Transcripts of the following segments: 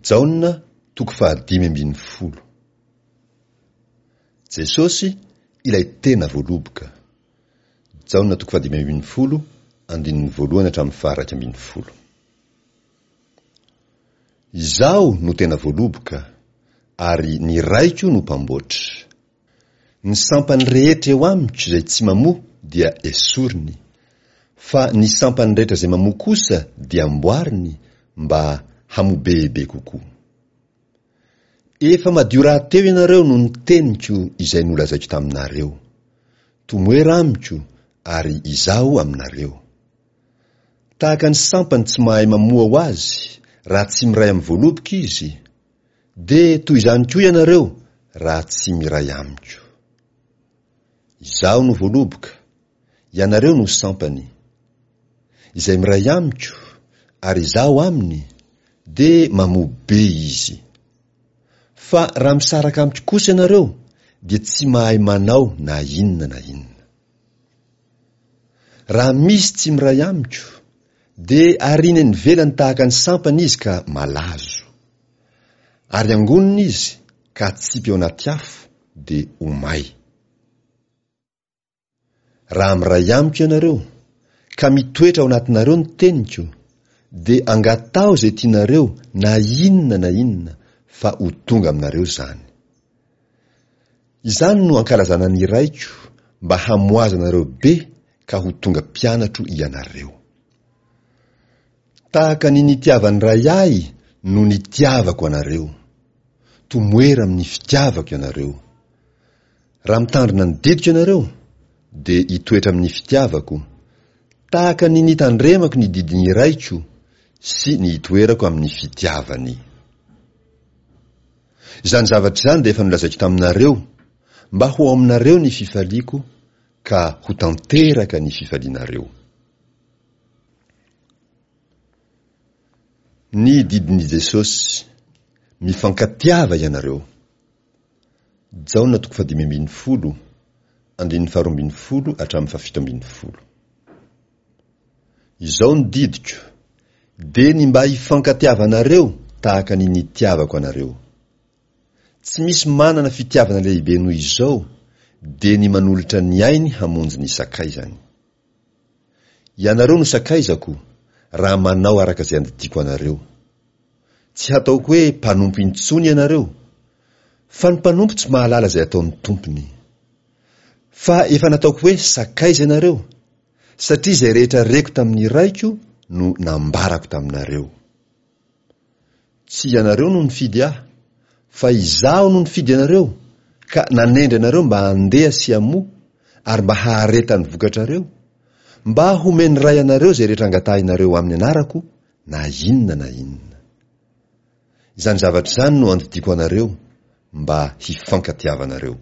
Jaona toko fahadimy ambin'ny folo. Jesosy ilay tena voaloboka. Jaona toko fahadimy ambin'ny folo andininy voalohany hatramin'ny faha-iraika ambin'ny folo. Izaho no tena voaloboka, ary ny Raiko no mpamboatra. Ny sampany rehetra eo amiko izay tsy mamoa dia esoriny, fa ny sampany rehetra izay mamoa kosa dia amboariny mba hamoa bebe kokoa. Efa madio rahateo ianareo noho ny teniko izay nolazaiko taminareo. Tomoera amiko ary izaho aminareo. Tahaka ny sampany tsy mahay mamoa ho azy raha tsy miray amin'ny voaloboka izy, Dia toy izany koa ianareo raha tsy miray amiko. Izaho no voaloboka, ianareo no sampany. Izay miray amiko, ary izaho aminy, dia mamoa be izy. Fa raha misaraka amiko kosa ianareo, dia tsy mahay manao na inona na inona. Raha misy tsy miray amiko, dia ariana eny ivelany tahaka ny sampana izy ka malazo. Ary angonina izy ka atsipy ao anaty afo dia ho may. Raha miray amiko ianareo, ka mitoetra ao anatinareo ny teniko, dia angataho izay tianareo na inona na inona fa ho tonga aminareo izany. Izany no ankalazana ny Raiko mba hamoazanareo be ka ho tonga mpianatro ianareo. Tahaka ny nitiavan'ny Ray Ahy no nitiavako anareo. Tomoera amin'ny fitiavako ianareo. Raha mitandrina ny didiko ianareo, dia hitoetra amin'ny fitiavako, tahaka ny nitandremako ny didin'ny Raiko sy ny hitoerako amin'ny fitiavany. Izany zavatra izany dia efa nolazaiko taminareo, mba ho ao aminareo ny fifaliako ka ho tanteraka ny fifalianareo. Ny didin'i Jesosy, Mifankatiava ianareo. Jaona toko fahadimy ambin'ny folo, andininy faharoa ambin'ny folo hatramin'ny fahafito ambin'ny folo. Izao ny didiko, dia ny mba hifankatiavanareo tahaka ny nitiavako anareo. Tsy misy manana fitiavana lehibe noho izao, dia ny manolotra ny ainy hamonjy ny sakaizany. Ianareo no sakaizako, raha manao araka izay andidiako anareo. Tsy hataoko hoe mpanompo intsony ianareo, fa ny mpanompo tsy mahalala izay ataon'ny tompony. Fa efa nataoko hoe sakaiza ianareo, satria izay rehetra reko tamin'ny Raiko no nambarako taminareo. Tsy ianareo no nifidy Ahy, fa Izaho no nifidy anareo ka nanendry anareo mba handeha sy hamoa ary mba haharetan'ny vokatrareo, mba homen'ny Ray anareo izay rehetra angatahinareo amin'ny anarako na inona na inona. Izany zavatra izany no andidiako anareo mba hifankatiavanareo.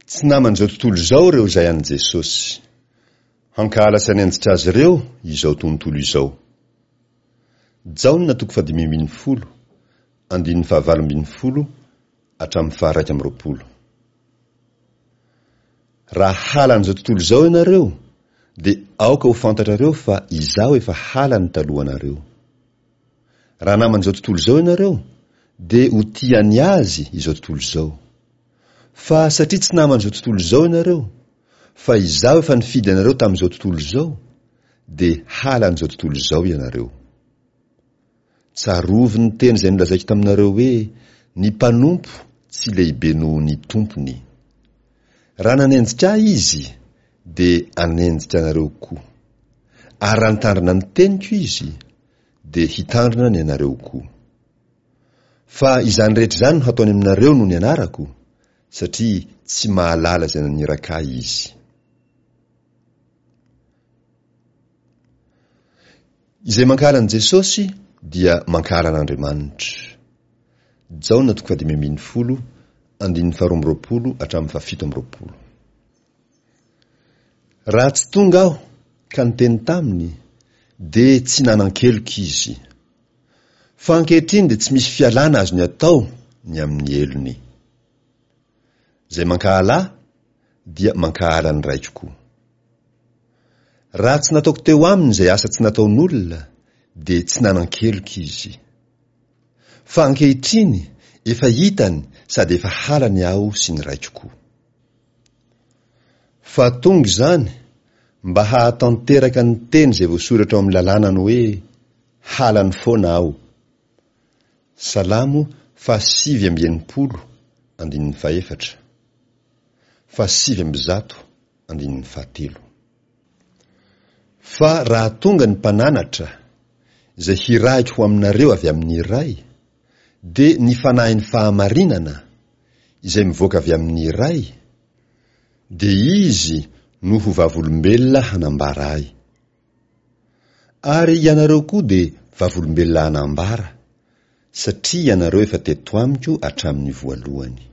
Tsy naman'izao tontolo izao ireo izay an'i Jesosy. Hankahala sy hanenjika azy ireo izao tontolo izao. Jaona toko fahadimy ambin'ny folo, andininy fahavalo ambin'ny folo hatramin'ny faha-iraika amby roapolo. Raha halan'izao tontolo izao ianareo, dia aoka ho fantatrareo fa Izaho efa halany talohanareo. Raha naman'izao tontolo izao ianareo, dia ho tia ny azy izao tontolo izao. Fa satria tsy naman'izao tontolo izao ianareo, fa Izaho efa nifidy anareo tamin'izao tontolo izao, dia halan'izao tontolo izao ianareo. Tsarovy ny teny izay nolazaiko taminareo hoe, Ny mpanompo tsy lehibe noho ny tompony. Raha nanenjika Ahy izy, dia hanenjika anareo koa. Ary raha nitandrina ny teniko izy, dia hitandrina ny anareo koa. Fa izany rehetra izany no hataony aminareo noho ny anarako, satria tsy mahalala izay naniraka Ahy izy. Izay mankahala an'i Jesosy dia mankahala an'Andriamanitra. Jaona toko fahadimy ambin'ny folo, andininy faharoa amby roapolo hatramin'ny fahafito amby roapolo. Raha tsy tonga aho ka niteny taminy, dia tsy nanan-keloka izy. Fa ankehitriny dia tsy misy fialana azony atao ny amin'ny helony. Izay mankahala ahy dia mankahala ny Raiko koa. Raha tsy nataoko teo aminy izay asa tsy nataon'olona, dia tsy nanan-keloka izy. Fa ankehitriny efa hitany sady efa halany aho sy ny Raiko koa. Fa tonga izany mba hahatanteraka ny teny izay voasoratra ao amin'ny lalànany hoe, Halany foana aho. Salamo faha-69 andininy fahefatra, faha-109 andininy fahatelo. Fa raha tonga ny Mpananatra, izay hirahiko ho aminareo avy amin'ny Ray, dia ny Fanahin'ny fahamarinana, izay mivoaka avy amin'ny Ray, dia Izy no ho vavolombelona hanambara Ahy. Ary ianareo koa dia vavolombelona hanambara, satria ianareo efa teto amiko hatramin'ny voalohany.